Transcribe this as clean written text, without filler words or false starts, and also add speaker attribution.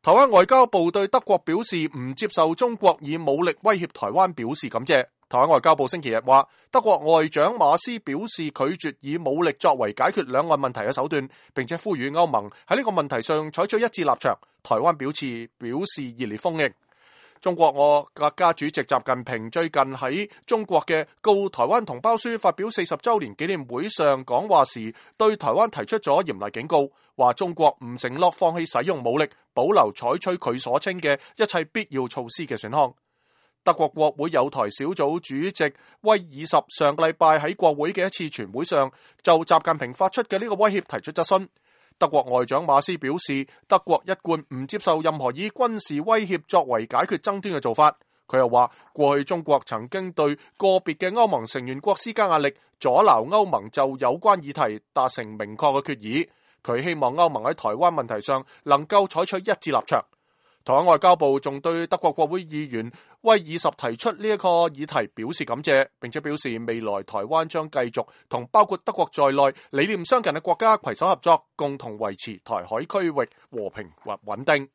Speaker 1: 台灣外交部對德國表示唔接受中國以武力威脅台灣表示感謝。台灣外交部星期日話，德國外長馬斯表示拒絕以武力作為解決兩岸問題嘅手段，並且呼籲歐盟喺呢個問題上採取一致立場。台灣表示熱烈歡迎。中國國家主席習近平最近喺中國嘅告台灣同胞書發表40週年紀念會上講話時，對台灣提出咗嚴厲警告，話中國唔承諾放棄使用武力，保留採取佢所稱嘅一切必要措施嘅選項。德國國會友台小組主席威爾什上個禮拜喺國會嘅一次全會上，就習近平發出嘅呢個威脅提出質詢。德國外長馬斯表示，德國一貫唔接受任何以軍事威脅作為解決爭端嘅做法。佢又話，過去中國曾經對個別嘅歐盟成員國施加壓力，阻撓歐盟就有關議題達成明確嘅決議。佢希望歐盟喺台灣問題上能夠採取一致立場。台灣外交部仲對德國國會議員威爾什提出呢一個議題表示感謝，並且表示未來台灣將繼續同包括德國在內理念相近嘅國家攜手合作，共同維持台海區域和平或穩定。